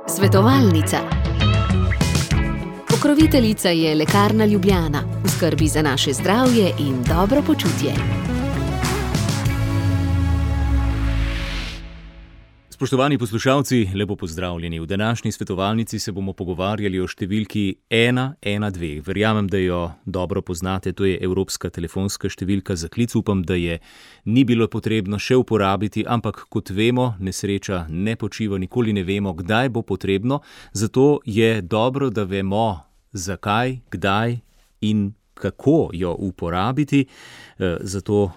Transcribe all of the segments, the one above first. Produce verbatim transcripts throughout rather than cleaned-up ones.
Svetovalnica. Pokroviteljica je Lekarna Ljubljana, v skrbi za naše zdravje in dobro počutje. Spoštovani poslušalci, lepo pozdravljeni. V današnji svetovalnici se bomo pogovarjali o številki ena ena dve. Verjamem, da jo dobro poznate, to je evropska telefonska številka za klic. Upam, da je ni bilo potrebno še uporabiti, ampak kot vemo, nesreča ne počiva, nikoli ne vemo, kdaj bo potrebno. Zato je dobro, da vemo, zakaj, kdaj in kako jo uporabiti. Zato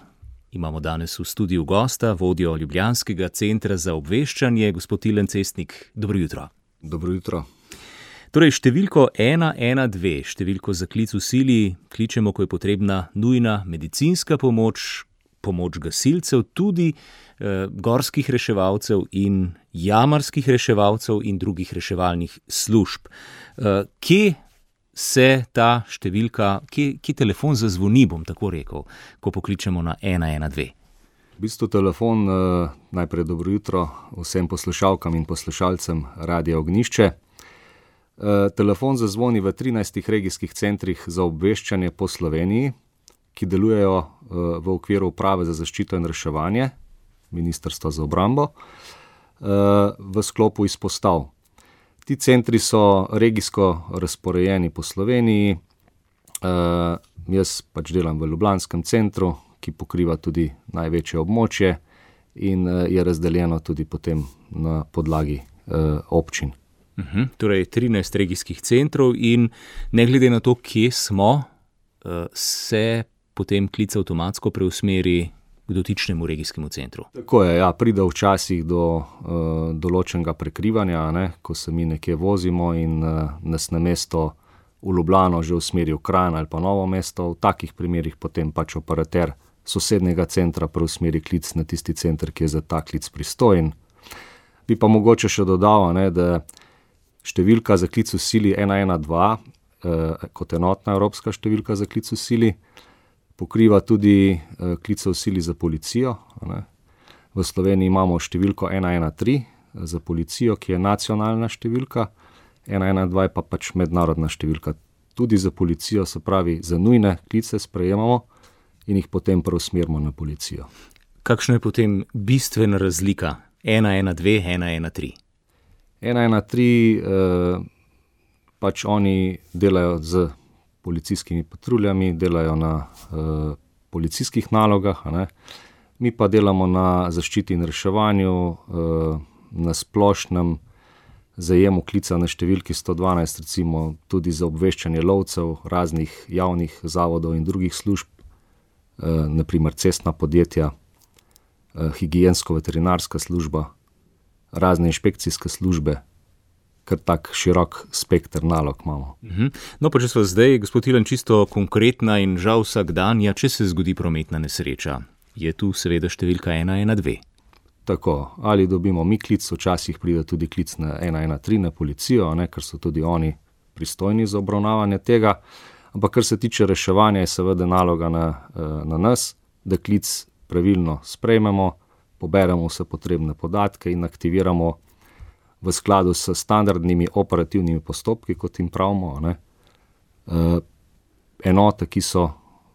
imamo danes v studiu gosta, vodjo Ljubljanskega centra za obveščanje, gospod Tilen Cestnik. Dobro jutro. Dobro jutro. Torej, številko ena ena dve, številko za klic v sili, kličemo, ko je potrebna nujna medicinska pomoč, pomoč gasilcev, tudi eh, gorskih reševalcev in jamarskih reševalcev in drugih reševalnih služb. Eh, kje se ta številka, ki, ki telefon zazvoni, bom tako rekel, ko pokličemo na ena ena dve? V bistvu telefon, najprej dobro jutro vsem poslušalkam in poslušalcem Radia Ognjišče. Telefon zazvoni v trinajstih regijskih centrih za obveščanje po Sloveniji, ki delujejo v okviru Uprave za zaščito in reševanje, Ministrstva za obrambo, v sklopu izpostav. Ti centri so regijsko razporejeni po Sloveniji. Uh, jaz pač delam v Ljubljanskem centru, ki pokriva tudi največje območje in uh, je razdeljeno tudi potem na podlagi uh, občin. Uh-huh. Torej trinajst regijskih centrov in ne glede na to, kje smo, uh, se potem klic avtomatsko preusmeri k dotičnemu regijskemu centru. Tako je, ja, pride včasih do uh, določenega prekrivanja, ne, ko se mi nekje vozimo in uh, nas na mesto v Ljubljano že usmeri v Kranj ali pa Novo mesto. V takih primerih potem pač operater sosednjega centra preusmeri klic na tisti center, ki je za ta klic pristojen. Bi pa mogoče še dodal, ne, da številka za klic v sili ena ena dva, uh, kot enotna evropska številka za klic v sili, pokriva tudi uh, klice v sili za policijo. Ne. V Sloveniji imamo številko ena ena tri za policijo, ki je nacionalna številka, ena ena dva je pa pač mednarodna številka. Tudi za policijo, se pravi, za nujne klice sprejemamo in jih potem preusmerimo na policijo. Kakšna je potem bistvena razlika ena ena dve, ena ena tri? ena ena tri uh, pač oni delajo z policijskimi patruljami, delajo na uh, policijskih nalogah, a ne. Mi pa delamo na zaščiti in reševanju, uh, na splošnem zajemu klica na številki sto dvanajst, recimo tudi za obveščanje lovcev, raznih javnih zavodov in drugih služb, uh, naprimer cestna podjetja, uh, higiensko-veterinarska služba, razne inšpekcijske službe, kar tak širok spekter nalog imamo. Uh-huh. No, pa če smo zdaj, gospod Tilen, čisto konkretna in žal vsakdanja, če se zgodi prometna nesreča, je tu seveda številka ena ena dve. Tako, ali dobimo mi klic, včasih pride tudi klic na ena ena tri na policijo, ne, ker so tudi oni pristojni za obravnavanje tega, ampak kar se tiče reševanja, je seveda naloga na, na nas, da klic pravilno sprejmemo, poberemo vse potrebne podatke in aktiviramo v skladu s standardnimi operativnimi postopki, kot jim pravimo, ne, enote, ki so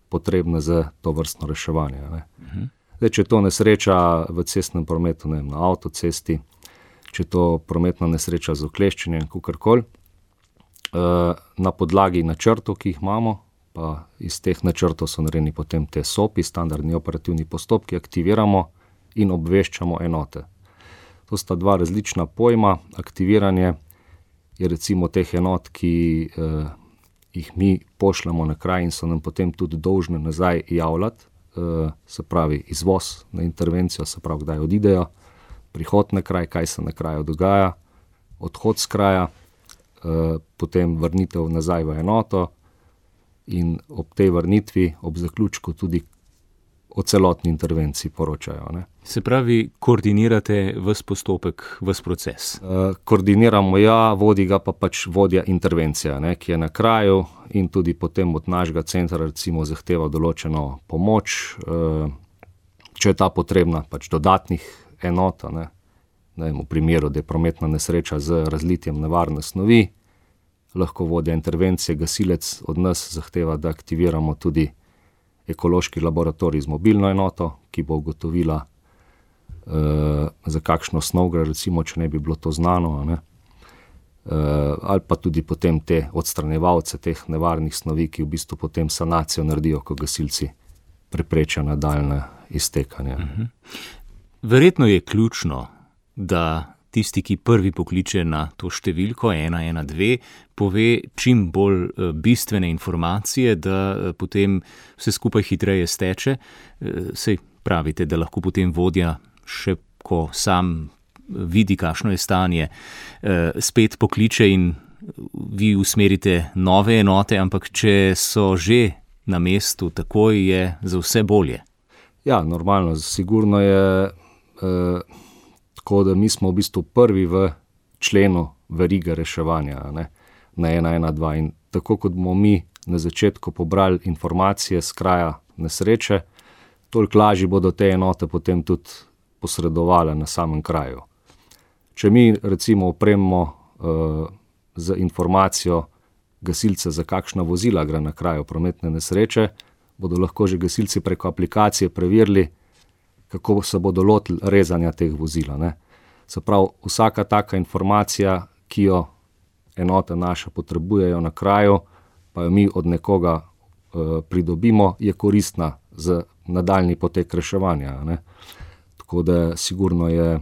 potrebne za to vrstno reševanje. Ne. Uh-huh. Zdaj, če je to nesreča v cestnem prometu, ne, na avtocesti, če je to prometna nesreča z ukleščenjem, kakorkoli, na podlagi načrtov, ki jih imamo, pa iz teh načrtov so narejeni potem te S O P-i, standardni operativni postopki, aktiviramo in obveščamo enote. To sta dva različna pojma. Aktiviranje je recimo teh enot, ki eh, jih mi pošljemo na kraj in so nam potem tudi dolžne nazaj javljati, eh, se pravi izvoz na intervencijo, se pravi kdaj odidejo, prihod na kraj, kaj se na kraju dogaja, odhod z kraja, eh, potem vrnitev nazaj v enoto in ob tej vrnitvi, ob zaključku tudi o celotni intervenciji poročajo. Ne. Se pravi, koordinirate ves postopek, ves proces? E, koordiniramo, ja, vodi ga pa pač vodja intervencija, ne, ki je na kraju in tudi potem od našega centra recimo zahteva določeno pomoč, e, če je ta potrebna, pač dodatnih enot, ne, ne vem, v primeru, da je prometna nesreča z razlitjem nevarne snovi, lahko vodja intervencije, gasilec od nas zahteva, da aktiviramo tudi ekološki laboratorij z mobilno enoto, ki bo ugotovila, uh, za kakšno snov gre, recimo, če ne bi bilo to znano, ne? Uh, ali pa tudi potem te odstranjevalce teh nevarnih snovi, ki v bistvu potem sanacijo naredijo, ko gasilci preprečijo nadaljnje iztekanje. Uh-huh. Verjetno je ključno, da tisti, ki prvi pokliče na to številko ena ena dve, pove čim bolj bistvene informacije, da potem vse skupaj hitreje steče. Sej pravite, da lahko potem vodja, še ko sam vidi, kakšno je stanje, spet pokliče in vi usmerite nove enote, ampak če so že na mestu, takoj je za vse bolje. Ja, normalno, sigurno je eh, tako, da mi smo v bistvu prvi v členu verige reševanja, ne, na ena ena dva, in tako kot bomo mi na začetku pobrali informacije z kraja nesreče, toliko lažje bodo te enote potem tudi posredovale na samem kraju. Če mi recimo opremimo uh, z informacijo gasilce, za kakšna vozila gre na kraju prometne nesreče, bodo lahko že gasilci preko aplikacije preverili, kako se bodo lotili rezanja teh vozila. Ne. Se pravi, vsaka taka informacija, ki jo enote naše potrebujejo na kraju, pa jo mi od nekoga uh, pridobimo, je koristna za nadaljni potek reševanja. Ne. Tako da sigurno je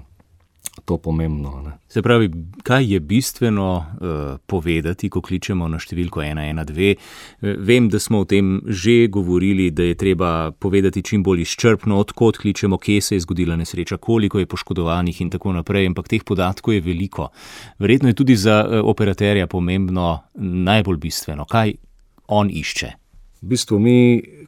to pomembno. Ne. Se pravi, kaj je bistveno uh, povedati, ko kličemo na številko ena ena dve? Vem, da smo o tem že govorili, da je treba povedati čim bolj izčrpno, odkot kličemo, kje se je zgodila nesreča, koliko je poškodovanih in tako naprej, ampak teh podatkov je veliko. Verjetno je tudi za uh, operaterja pomembno najbolj bistveno, kaj on išče. V bistvu mi,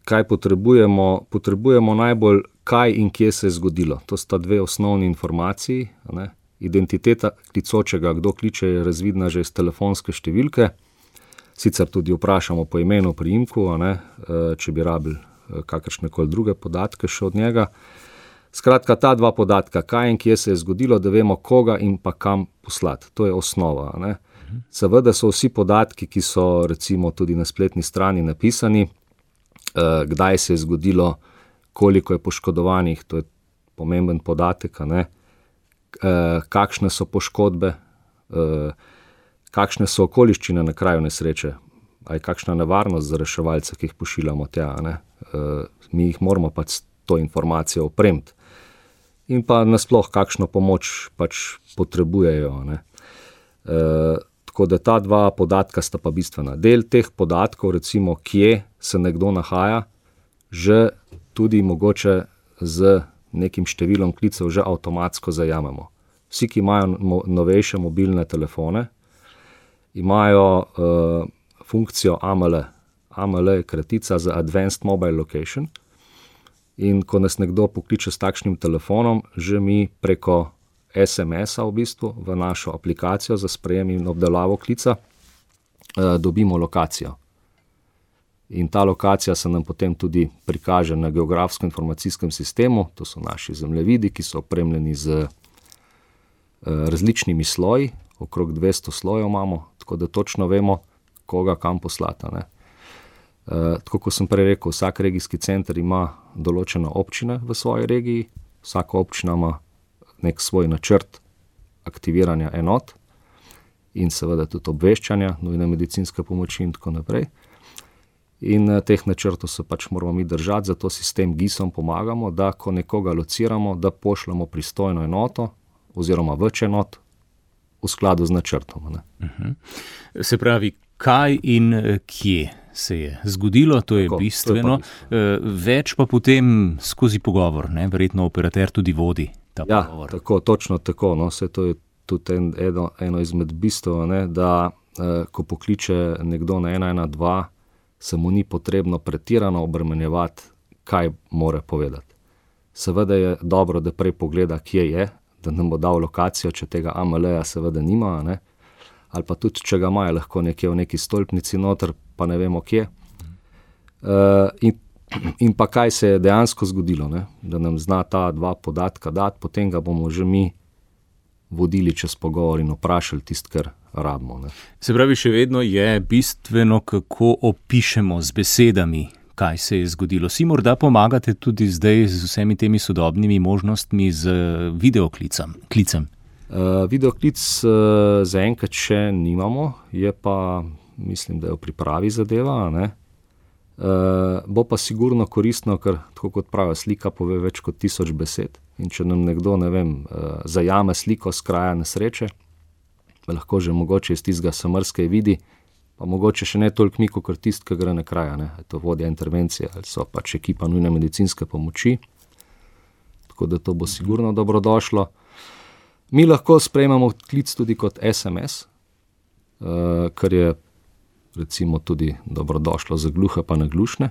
kaj potrebujemo, potrebujemo najbolj, kaj in kje se je zgodilo. To sta dve osnovni informaciji. Ne. Identiteta klicočega, kdo kliče, je razvidna že iz telefonske številke. Sicer tudi vprašamo po imenu, priimku, ne, če bi rabili kakršnekoli druge podatke še od njega. Skratka, ta dva podatka, kaj in kje se je zgodilo, da vemo, koga in pa kam poslati. To je osnova. Ne. Seveda so vsi podatki, ki so recimo tudi na spletni strani napisani, kdaj se je zgodilo, koliko je poškodovanih, to je pomemben podatek, ne? Kakšne so poškodbe, kakšne so okoliščine na kraju nesreče, a je kakšna nevarnost za reševalce, ki jih pošiljamo tja, ne? Mi jih moramo pač to informacijo opremiti. In pa nasploh, kakšno pomoč pač potrebujejo, ne? Tako da ta dva podatka sta pa bistvena. Del teh podatkov, recimo, kje se nekdo nahaja, že tudi mogoče z nekim številom klicev že avtomatsko zajamemo. Vsi, ki imajo novejše mobilne telefone, imajo uh, funkcijo A M L. A M L je kratica za Advanced Mobile Location, in ko nas nekdo pokliče s takšnim telefonom, že mi preko es em es-a v bistvu v našo aplikacijo za sprejem in obdelavo klica uh, dobimo lokacijo. In ta lokacija se nam potem tudi prikaže na geografsko-informacijskem sistemu, to so naši zemljevidi, ki so opremljeni z uh, različnimi sloji, okrog dvesto slojev imamo, tako da točno vemo, koga kam poslata. Ne. Uh, tako kot sem prej rekel, vsak regijski center ima določene občine v svoji regiji, vsaka občina ima nek svoj načrt aktiviranja enot in seveda tudi obveščanja, nujne medicinske pomoči in tako naprej. In teh načrtov se pač moramo mi držati, zato sistem gisom pomagamo, da ko nekoga lociramo, da pošljemo pristojno enoto oziroma več enot v skladu z načrtom. Ne. Uh-huh. Se pravi, kaj in kje se je zgodilo, to je tako, bistveno. To je pa bistveno. Več pa potem skozi pogovor, ne? Verjetno operater tudi vodi ta ja, pogovor. Ja, tako, točno tako. No. Vse to je tudi en, eno, eno izmed bistev, ne? Da eh, ko pokliče nekdo na ena ena dva, se mu ni potrebno pretirano obremenjevati, kaj more povedati. Seveda je dobro, da prej pogleda, kje je, da nam bo dal lokacijo, če tega A M L-ja seveda nima, ne? Ali pa tudi, če ga imajo lahko nekje v neki stolpnici noter, pa ne vemo kje. Uh, in, in pa kaj se je dejansko zgodilo, ne? Da nam zna ta dva podatka dati, potem ga bomo že mi vodili čez pogovor in vprašali tisto, kar rabimo. Ne. Se pravi, še vedno je bistveno, kako opišemo z besedami, kaj se je zgodilo. Si morda pomagate tudi zdaj z vsemi temi sodobnimi možnostmi z videoklicem? Klicem? Uh, videoklic uh, zaenkrat še nimamo, je pa, mislim, da je v pripravi zadeva, ne. Uh, bo pa sigurno koristno, ker tako kot pravi, slika pove več kot tisoč besed in če nam nekdo, ne vem, uh, zajame sliko z kraja nesreče, lahko že mogoče iz tistega samrskej vidi, pa mogoče še ne toliko mi, kot tist, ki gre na kraja, ne, je to vodja intervencije ali so pač ekipa nujne medicinske pomoči, tako da to bo sigurno dobrodošlo. Mi lahko sprejmemo klic tudi kot es em es, uh, kar je recimo tudi dobrodošlo za gluhe pa naglušne,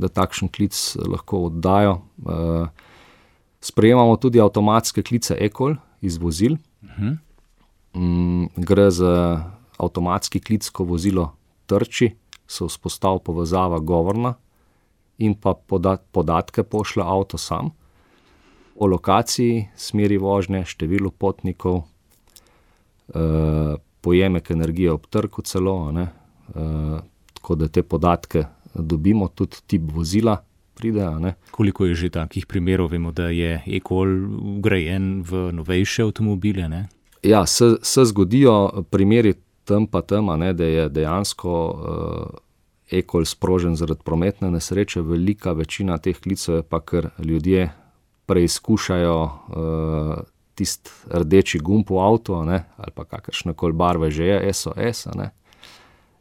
da takšen klic lahko oddajo. Uh, sprejemamo tudi avtomatske klice e-call iz vozil. Uh-huh. Um, gre za avtomatski klic, ko vozilo trči, se vzpostavi povezava govorna in pa podat, podatke pošlje avto sam o lokaciji, smeri vožnje, številu potnikov, uh, pojemek energije ob trku celo, ne. Uh, tako da te podatke dobimo, tudi tip vozila pride. Ne. Koliko je že takih primerov? Vemo, da je e-call vgrajen v novejše avtomobile, ne? Ja, se, se zgodijo primeri tam pa tam, ne, da je dejansko uh, e-call sprožen zaradi prometne nesreče. Velika večina teh klicev je pa, ker ljudje preizkušajo uh, tist rdeči gumb v avtu, ne, ali pa kakršnekoli barve že je, es o es, ne,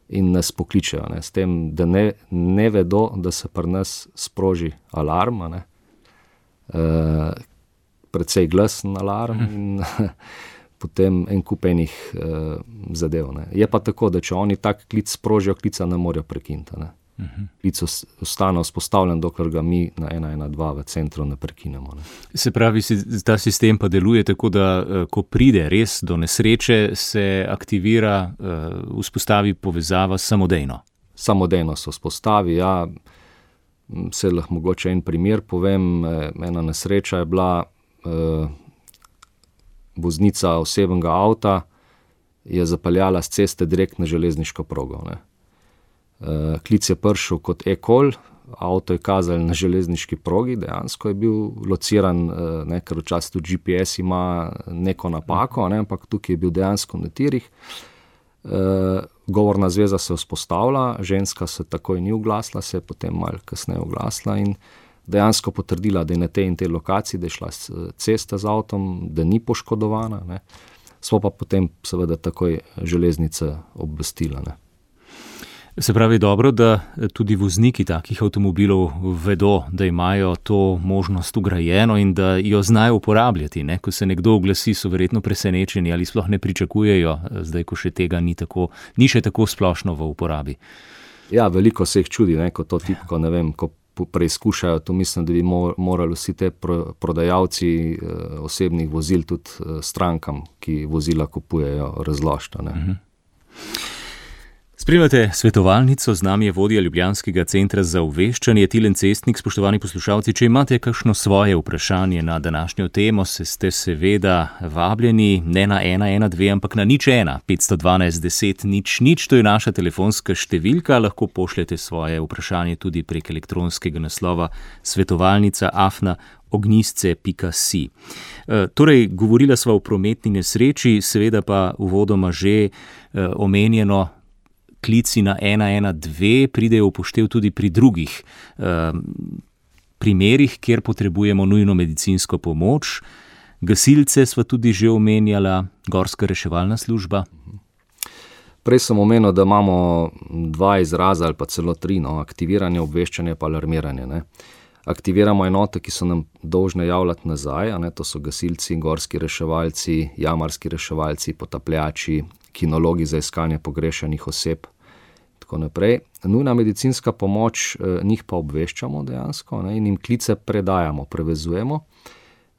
in nas pokličejo, ne, s tem, da ne, ne vedo, da se pri nas sproži alarm, ne, uh, precej glasen alarm in potem en kup enih uh, zadev. Ne. Je pa tako, da če oni tak klic sprožijo, klica ne morejo prekiniti. Ne. Klic ostane vzpostavljen, dokler ga mi na ena ena dva v centru ne prekinemo. Ne. Se pravi, ta sistem pa deluje tako, da ko pride res do nesreče, se aktivira, vzpostavi povezava samodejno. Samodejno se vzpostavi, ja. Se lahko mogoče en primer povem. Ena nesreča je bila, eh, voznica osebnega avta je zapeljala z ceste direkt na železniško progo, ne. Uh, klic je prišel kot e-call, avto je kazal na železniški progi, dejansko je bil lociran, uh, ne, ker včasih tudi G P S ima neko napako, ne, ampak tukaj je bil dejansko na tirih. Uh, govorna zveza se vzpostavila, ženska se takoj ni oglasila, se je potem malo kasneje oglasila in dejansko potrdila, da je na tej in tej lokaciji, da je šla cesta z avtom, da ni poškodovana, ne. Smo pa potem seveda takoj železnice obvestila, ne. Se pravi, dobro, da tudi vozniki takih avtomobilov vedo, da imajo to možnost ugrajeno in da jo znajo uporabljati, ne? Ko se nekdo oglasi, so verjetno presenečeni ali sploh ne pričakujejo, zdaj, ko še tega ni tako, ni še tako splošno v uporabi. Ja, veliko se jih čudi, ne, ko to tipko, ne vem, ko preizkušajo, to mislim, da bi morali vsi te prodajalci osebnih vozil tudi strankam, ki vozila kupujejo, razložiti, ne. Mhm. Spremljate svetovalnico, z nami je vodja Ljubljanskega centra za obveščanje Tilen Cestnik. Spoštovani poslušalci, če imate kakšno svoje vprašanje na današnjo temo, se ste seveda vabljeni ne na ena ena dve, ampak na nič ena, petsto dvanajst deset nič nič, to je naša telefonska številka, lahko pošljete svoje vprašanje tudi prek elektronskega naslova svetovalnica afna ognjisce pika si. E, torej, govorila sva o prometni nesreči, seveda pa uvodoma že e, omenjeno, klici na ena ena dve pridejo upoštev tudi pri drugih eh, primerih, kjer potrebujemo nujno medicinsko pomoč. Gasilce sva tudi že omenjala, gorska reševalna služba. Prej sem omenil, da imamo dva izraza ali pa celo tri, no, aktiviranje, obveščanje pa alarmiranje, ne. Aktiviramo enote, ki so nam dolžne javljati nazaj, a ne, to so gasilci, gorski reševalci, jamarski reševalci, potapljači, kinologi za iskanje pogrešanih oseb, tako naprej. Nujna medicinska pomoč, eh, njih pa obveščamo dejansko, ne, in jim klice predajamo, prevezujemo.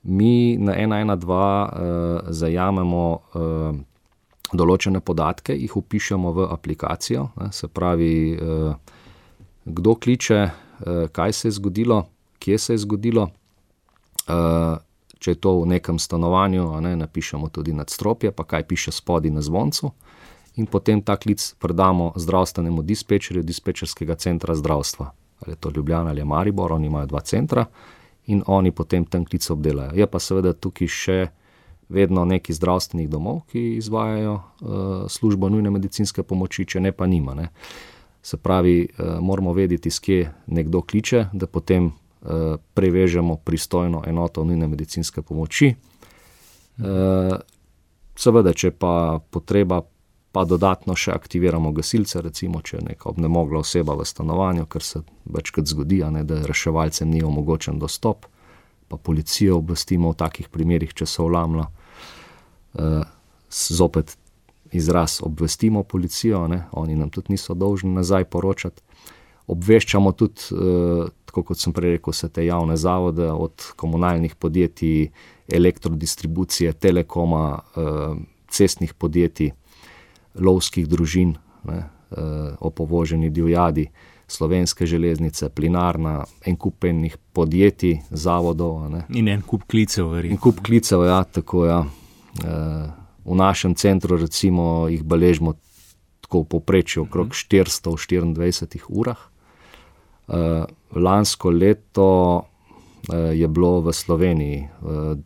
Mi na ena ena dva eh, zajamemo eh, določene podatke, jih vpišemo v aplikacijo, ne, se pravi, eh, kdo kliče, eh, kaj se je zgodilo, kje se je zgodilo, eh, če je to v nekem stanovanju, a ne, napišemo tudi nadstropje, pa kaj piše spodaj na zvoncu, in potem ta klic predamo zdravstvenemu dispečerju dispečerskega centra zdravstva. Ali je to Ljubljana ali je Maribor, oni imajo dva centra in oni potem ten klic obdelajo. Je pa seveda tukaj še vedno neki zdravstvenih domov, ki izvajajo uh, službo nujne medicinske pomoči, če ne pa nima. Ne. Se pravi, uh, moramo vedeti, s kje nekdo kliče, da potem uh, prevežemo pristojno enoto nujne medicinske pomoči. Uh, seveda, če pa potreba, pa dodatno še aktiviramo gasilce, recimo, če je neka obnemogla oseba v stanovanju, ker se večkrat zgodi, a ne, da reševalcem ni omogočen dostop, pa policijo obvestimo v takih primerih, če se vlamlja. Uh, zopet izraz obvestimo policijo, ne? Oni nam tudi niso dolžni nazaj poročati. Obveščamo tudi, uh, tako kot sem prej rekel, vse te javne zavode, od komunalnih podjetij, elektrodistribucije, telekoma, uh, cestnih podjetij, lovskih družin, ne? Uh, o povoženi divjadi, Slovenske železnice, Plinarna, en kup enih podjetij, zavodov. Ne? In en kup klicev, verjetno. In kup klicev, ja, tako ja. V našem centru recimo jih beležimo tako v povprečju okrog štiristo v štiriindvajsetih urah. Lansko leto je bilo v Sloveniji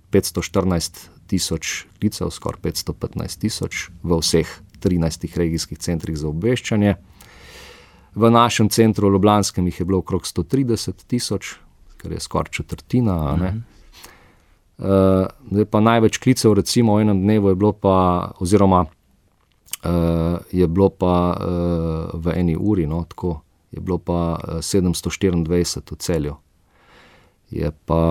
petsto štirinajst tisoč klicev, skoraj petsto petnajst tisoč v vseh trinajstih regijskih centrih za obveščanje. V našem centru v Ljubljanskem jih je bilo okrog sto trideset tisoč, kar je skoraj četrtina, a ne? Uh, zdaj pa največ klicev recimo v enem dnevu je bilo pa, oziroma uh, je bilo pa uh, v eni uri, no, tako, je bilo pa uh, sedemsto štiriindvajset v Celju. Je pa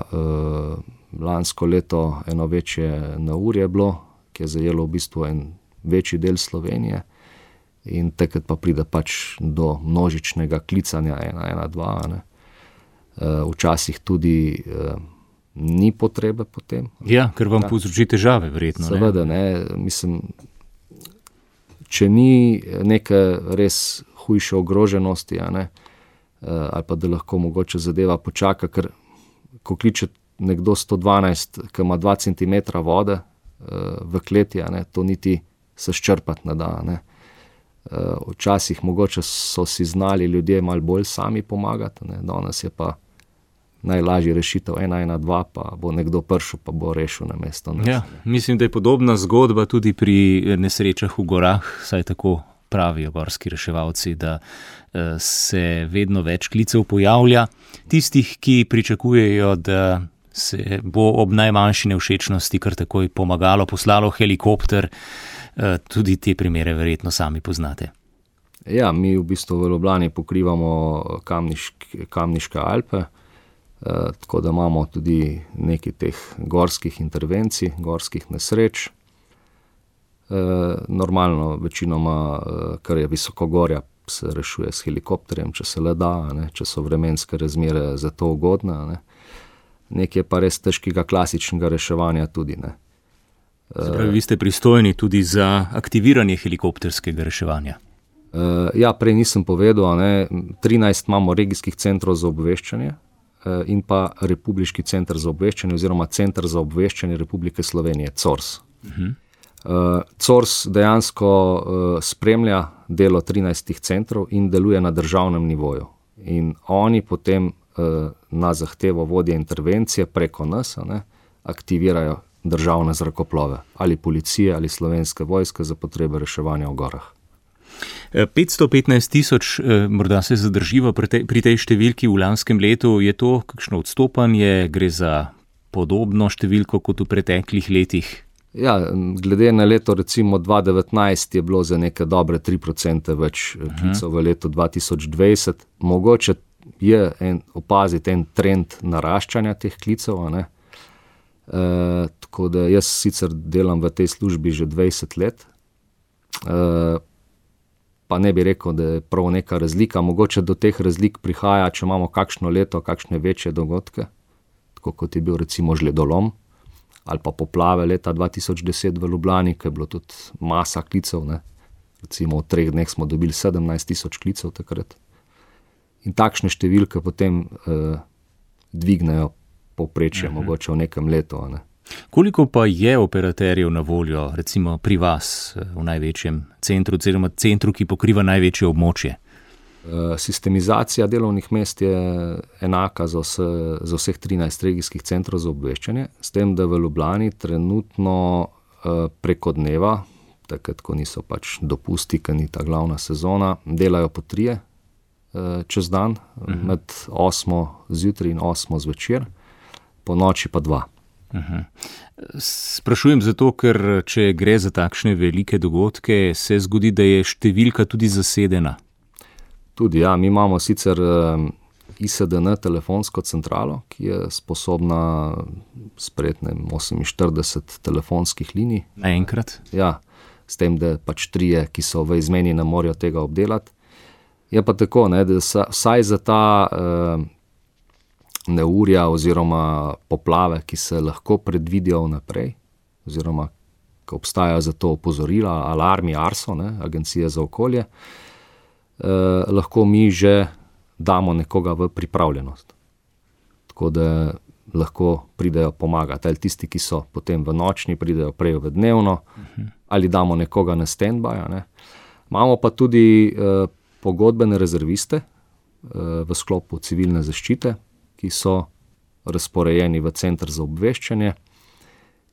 uh, lansko leto eno večje neurje bilo, ki je zajelo v bistvu en večji del Slovenije in takrat pa pride pač do množičnega klicanja ena ena dva, ne. Uh, včasih tudi uh, ni potrebe potem. Ja, ker vam ja. povzroči težave, verjetno. Seveda, ne, mislim, če ni neke res hujše ogroženosti, a ne, ali pa da lahko mogoče zadeva počaka, ker ko kliče nekdo sto dvanajst, ki ima dva centimetra vode v kleti, a ne, to niti se ščrpati ne da, ne. Včasih mogoče so si znali ljudje malo bolj sami pomagati, ne, danes je pa najlažji rešitev ena ena dva, pa bo nekdo prišel, pa bo rešil na mesto. Ja, mislim, da je podobna zgodba tudi pri nesrečah v gorah, saj tako pravijo gorski reševalci, da se vedno več klicev pojavlja. Tistih, ki pričakujejo, da se bo ob najmanjši nevšečnosti kar takoj pomagalo, poslalo helikopter, tudi te primere verjetno sami poznate. Ja, mi v bistvu v Ljubljani pokrivamo Kamniške, Kamniške Alpe, Uh, tako da imamo tudi nekaj teh gorskih intervencij, gorskih nesreč. Uh, normalno, večinoma, uh, kar je visokogorja, se rešuje s helikopterjem, če se le da, ne, če so vremenske razmere za to ugodne. Ne. Nekaj pa res težkega klasičnega reševanja tudi. Ne. Uh, Pravi, vi ste pristojni tudi za aktiviranje helikopterskega reševanja. Uh, ja, prej nisem povedal, ne, trinajst imamo regijskih centrov za obveščanje, in pa Republiški center za obveščanje oziroma Center za obveščanje Republike Slovenije, C O R S. Uh-huh. Uh, C O R S dejansko uh, spremlja delo trinajstih centrov in deluje na državnem nivoju. In oni potem uh, na zahtevo vodje intervencije preko nas, ne, aktivirajo državne zrakoplove, ali policije, ali Slovenske vojske za potrebe reševanja v gorah. petsto petnajst tisoč, morda se zadrživa pri tej, pri tej številki v lanskem letu, je to kakšno odstopanje, gre za podobno številko kot v preteklih letih? Ja, glede na leto recimo dva tisoč devetnajst je bilo za neke dobre tri procente več klicev v letu dva tisoč dvajset. Mogoče je en, opaziti en trend naraščanja teh klicev, a ne. E, tako da jaz sicer delam v tej službi že dvajset let, e, pa ne bi rekel, da je prav neka razlika. Mogoče do teh razlik prihaja, če imamo kakšno leto, kakšne večje dogodke, tako kot je bil recimo žledolom, ali pa poplave leta dva tisoč deset v Ljubljani, ki je bilo tudi masa klicev, ne. Recimo v treh dneh smo dobili sedemnajst tisoč klicev takrat. In takšne številke potem eh, dvignejo povprečje, uh-huh. mogoče v nekem letu. Ne. Koliko pa je operaterjev na voljo, recimo pri vas v največjem centru, oziroma centru, ki pokriva največje območje? Sistemizacija delovnih mest je enaka za, vse, za vseh trinajst regijskih centrov za obveščanje, s tem, da v Ljubljani trenutno preko dneva, takrat, ko niso pač dopusti, ker ni ta glavna sezona, delajo po trije čez dan, uh-huh. med osmo zjutraj in osmo zvečer, po noči pa dva. Uh-huh. Sprašujem zato, ker če gre za takšne velike dogodke, se zgodi, da je številka tudi zasedena. Tudi, ja, mi imamo sicer I S D N telefonsko centralo, ki je sposobna sprejeti oseminštirideset telefonskih linij. Naenkrat? Ja, s tem, da pač trije, ki so v izmeni, ne morejo tega obdelati. Je pa tako, ne, da vsaj za ta uh, neurja oziroma poplave, ki se lahko predvidijo vnaprej, oziroma ko obstajajo za to opozorila, alarmi ARSO, ne, Agencije za okolje, uh, lahko mi že damo nekoga v pripravljenost. Tako da lahko pridejo pomagati. Ali tisti, ki so potem v nočni, pridejo prej v dnevno, uh-huh. ali damo nekoga na stand-by. Ne. Imamo pa tudi uh, pogodbene rezerviste uh, v sklopu civilne zaščite, ki so razporejeni v center za obveščanje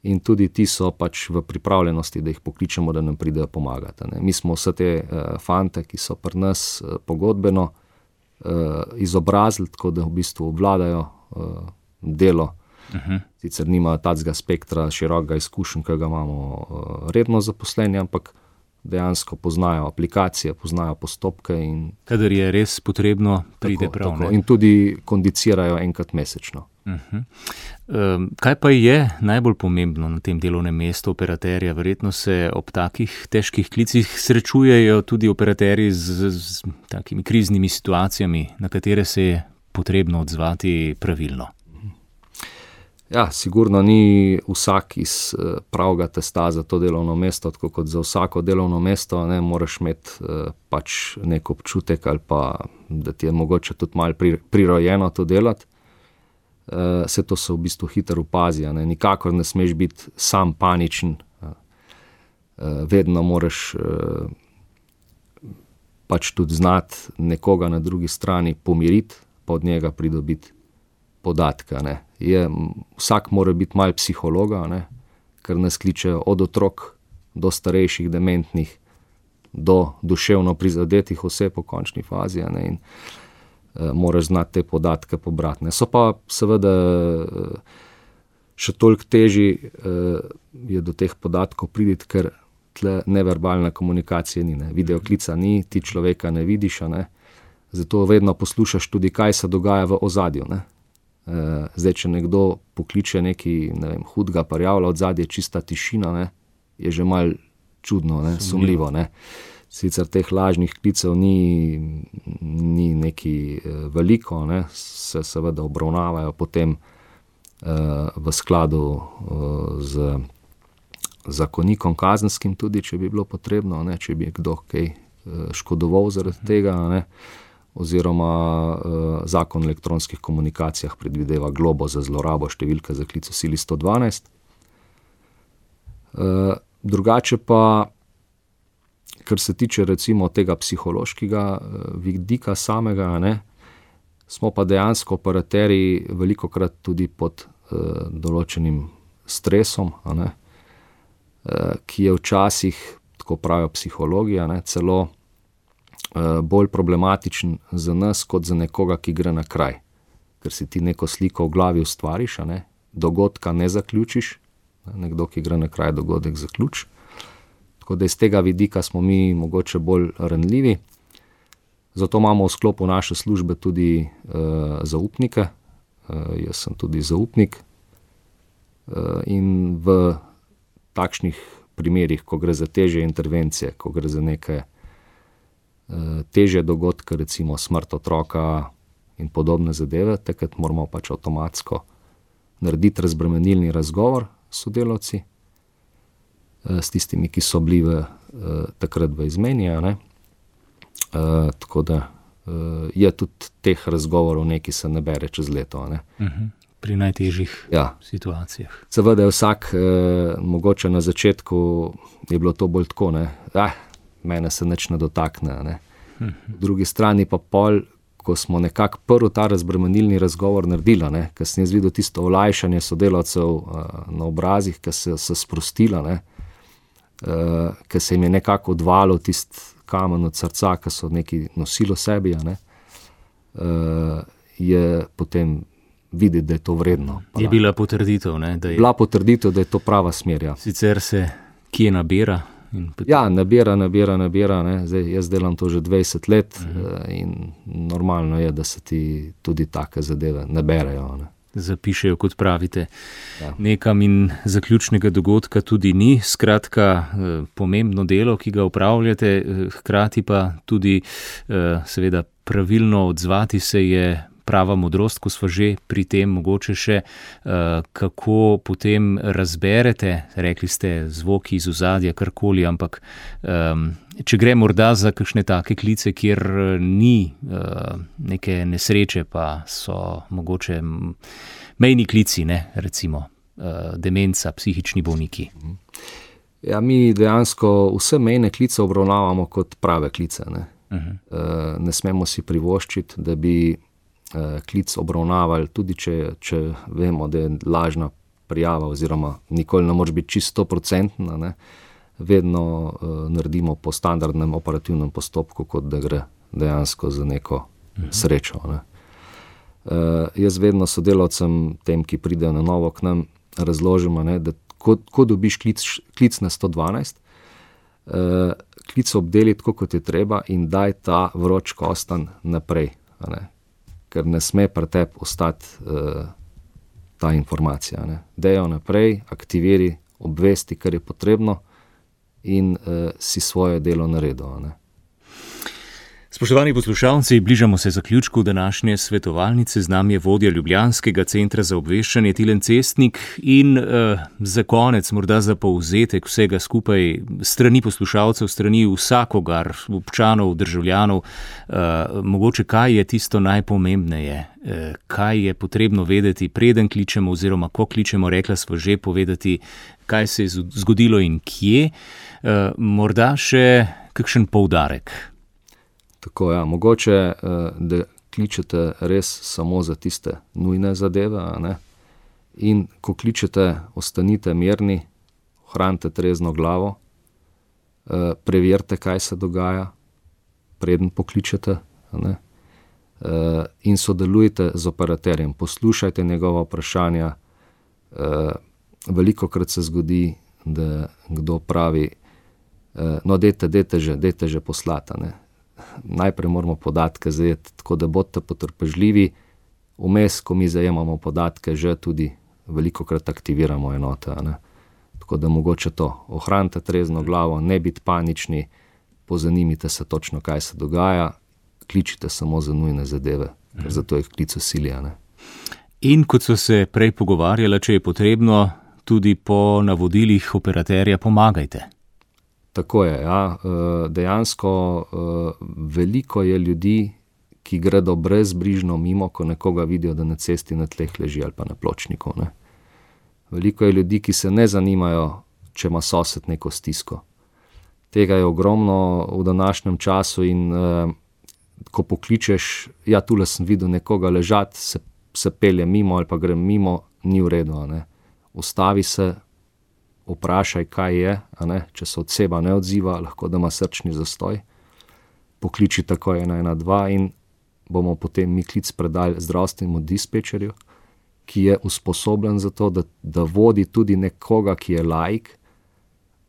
in tudi ti so pač v pripravljenosti, da jih pokličemo, da nam pridejo pomagati. Ne. Mi smo vse te uh, fante, ki so pri nas uh, pogodbeno uh, izobrazili, tako da v bistvu obvladajo uh, delo. Uh-huh. Sicer nimajo tacega spektra širokega izkušenj, ki ga imamo uh, redno zaposleni, ampak dejansko poznajo aplikacije, poznajo postopke. In kadar je res potrebno, pride tako, prav. Tako. In tudi kondicirajo enkrat mesečno. Uh-huh. Um, kaj pa je najbolj pomembno na tem delovnem mestu operaterja? Verjetno se ob takih težkih klicih srečujejo tudi operaterji z, z takimi kriznimi situacijami, na katere se je potrebno odzvati pravilno. Ja, sigurno ni vsak iz pravega testa za to delovno mesto, tako kot za vsako delovno mesto, ne, moraš imeti pač nek občutek ali pa, da ti je mogoče tudi malo prirojeno to delati. Vse to se v bistvu hitro opazi, ne, nikakor ne smeš biti sam paničen, vedno moraš pač tudi znati nekoga na drugi strani pomiriti, pa od njega pridobiti podatka, ne. Je, vsak mora biti malo psihologa, ne, ker nas kličejo od otrok do starejših, dementnih, do duševno prizadetih oseb v končni fazi, ne, in e, moraš znati te podatke pobrati. Ne. So pa seveda še toliko težji e, je do teh podatkov priditi, ker tle neverbalna komunikacija ni, ne. Videoklica ni, ti človeka ne vidiš, ne. Zato vedno poslušaš tudi, kaj se dogaja v ozadju, ne. Zdaj, če nekdo pokliče nekaj, ne vem, hudega parjavla, od zadnje čista tišina, ne, je že malo čudno, ne, sumljivo. Ne. Sicer teh lažnih klicev ni, ni nekaj veliko, ne, se seveda obravnavajo potem uh, v skladu uh, z zakonikom kazenskim tudi, če bi bilo potrebno, ne, če bi kdo kaj uh, škodoval zaradi tega, ne. Oziroma uh, zakon o elektronskih komunikacijah predvideva globo za zlorabo številke za klic v sili sto dvanajst. Uh, drugače pa, kar se tiče recimo tega psihološkega uh, vidika samega, ne, smo pa dejansko operaterji velikokrat tudi pod uh, določenim stresom, a ne, uh, ki je včasih, tako pravijo psihologi, a ne, celo bolj problematičen za nas, kot za nekoga, ki gre na kraj. Ker si ti neko sliko v glavi ustvariš, a ne, dogodka ne zaključiš, nekdo, ki gre na kraj, dogodek zaključi. Tako da iz tega vidika smo mi mogoče bolj ranljivi. Zato imamo v sklopu naše službe tudi uh, zaupnike. Uh, jaz sem tudi zaupnik. Uh, in v takšnih primerih, ko gre za težje intervencije, ko gre za neke težje dogodke, recimo smrt otroka in podobne zadeve, takrat moramo pač avtomatsko narediti razbremenilni razgovor s sodelavci, s tistimi, ki so bili v, takrat v izmeni, ne. Tako da je tudi teh razgovorov nekaj se nabere čez leto. Ne. Uh-huh. pri najtežjih ja. situacijah. Seveda je vsak, eh, mogoče na začetku je bilo to bolj tako, ne, eh, mene se nič ne dotakne, ne. V drugi strani pa pol, ko smo nekako prvi ta razbremenilni razgovor naredila, ne, ker sem jaz videl tisto olajšanje sodelavcev uh, na obrazih, ki se, se sprostila, ne, uh, ker se jim je nekako odvalil tist kamen od srca, ki so neki nosilo sebi, ne, uh, je potem videti, da je to vredno. Pa je bila potrditev, ne? Da je... Bila potrditev, da je to prava smer, ja. Sicer se kje nabira? In potem... Ja, nabira, nabira, nabira, ne. Zdaj, jaz delam to že dvajset let uh-huh. in normalno je, da se ti tudi take zadeve naberejo, ne. Zapišejo, kot pravite, ja. Nekam in zaključnega dogodka tudi ni. Skratka, pomembno delo, ki ga upravljate, hkrati pa tudi seveda pravilno odzvati se je prava modrost, ko smo že pri tem, mogoče še, kako potem razberete, rekli ste zvoki iz ozadja, karkoli, ampak če gre morda za kakšne take klice, kjer ni neke nesreče, pa so mogoče mejni klici, ne, recimo demenca, psihični bolniki. Ja, mi dejansko vse mejne klice obravnavamo kot prave klice, ne. Uh-huh. Ne smemo si privoščiti, da bi klic obravnavali, tudi če, če vemo, da je lažna prijava oziroma nikoli ne može biti čisto procentna, ne, vedno uh, naredimo po standardnem operativnem postopku, kot da gre dejansko za neko uh-huh. srečo, ne. Uh, jaz vedno sodelavcem, tem, ki pridejo na novo k nam, razložimo, ne, da ko, ko dobiš klic, klic na sto dvanajst, uh, klic obdeli tako, kot je treba in daj ta vroč kostan naprej, ne. Ker ne sme pri tebi ostati uh, ta informacija, ne. Dejo naprej, aktiviri, obvesti, kar je potrebno in uh, si svoje delo naredil, ne. Spoštovani poslušalci, bližamo se zaključku današnje svetovalnice. Z nami je vodja Ljubljanskega centra za obveščanje Tilen Cestnik in uh, za konec, morda za povzetek vsega skupaj, strani poslušalcev, strani vsakogar, občanov, državljanov, uh, mogoče kaj je tisto najpomembneje, uh, kaj je potrebno vedeti, preden kličemo oziroma ko kličemo, rekla smo že povedati, kaj se je zgodilo in kje, uh, morda še kakšen poudarek. Tako, ja, mogoče, da kličete res samo za tiste nujne zadeve, ne? In ko kličete, ostanite mirni, ohranite trezno glavo, preverite, kaj se dogaja, preden pokličete, ne? In sodelujte z operaterjem, poslušajte njegova vprašanja. Velikokrat se zgodi, da kdo pravi, no, dejte, dejte že, dejte že poslata, ne? Najprej moramo podatke zajeti, tako da bodite potrpežljivi, vmes, ko mi zajemamo podatke, že tudi velikokrat aktiviramo enote, ne. Tako da mogoče to, ohranite trezno glavo, ne biti panični, pozanimite se točno, kaj se dogaja, kličite samo za nujne zadeve, ker zato jih klic usilja, ne. In kot so se prej pogovarjala, če je potrebno, tudi po navodilih operaterja pomagajte. Tako je, ja. Dejansko veliko je ljudi, ki gredo brezbrižno mimo, ko nekoga vidijo, da na cesti na tleh leži ali pa na pločniku, ne. Veliko je ljudi, ki se ne zanimajo, če ima sosed neko stisko. Tega je ogromno v današnjem času in ko pokličeš, ja, tule sem videl nekoga ležati, se, se pelje mimo ali pa grem mimo, ni v redu, ne. Ustavi se, vprašaj, kaj je, a ne, če se oseba ne odziva, lahko da ima srčni zastoj, pokliči takoj ena ena dva in bomo potem mi klic predali zdravstvenemu dispečerju, ki je usposobljen za to, da, da vodi tudi nekoga, ki je laik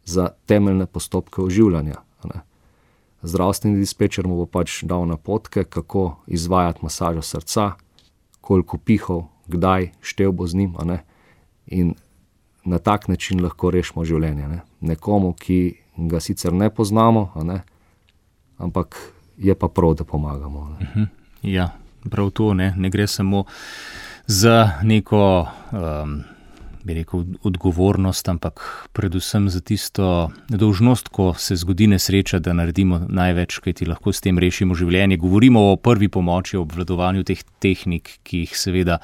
za temeljne postopke oživljanja, a ne. Zdravstveni dispečer mu bo pač dal napotke, kako izvajati masažo srca, koliko pihov, kdaj, štel bo z njim, a ne, in na tak način lahko rešimo življenje, ne. Nekomu, ki ga sicer ne poznamo, a ne, ampak je pa prav, da pomagamo, ne. Uh-huh. Ja, prav to, ne, ne gre samo za neko um, bi rekel, odgovornost, ampak predvsem za tisto dolžnost, ko se zgodi nesreča, da naredimo največ, kaj ti lahko s tem rešimo življenje. Govorimo o prvi pomoči, o obvladovanju teh tehnik, ki jih seveda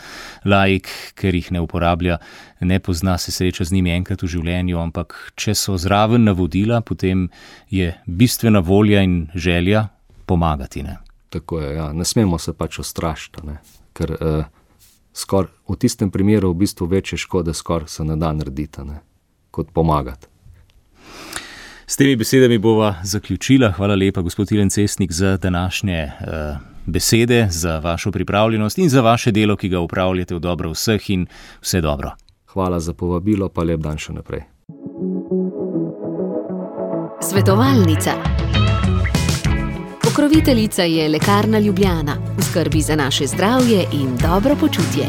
laik, ker jih ne uporablja, ne pozna, se sreča z njimi enkrat v življenju, ampak če so zraven navodila, potem je bistvena volja in želja pomagati. Ne? Tako je, ja. Ne smemo se pač ustrašiti, ne? Ker uh, skor, v tistem primeru v bistvu večje škode skoraj se ne da narediti, ne? Kot pomagati. S temi besedami bova zaključila. Hvala lepa, gospod Tilen Cestnik, za današnje uh, besede, za vašo pripravljenost in za vaše delo, ki ga upravljate v dobro vseh in vse dobro. Hvala za povabilo, pa lep dan še naprej. Svetovalnica. Pokroviteljica je Lekarna Ljubljana, v skrbi za naše zdravje in dobro počutje.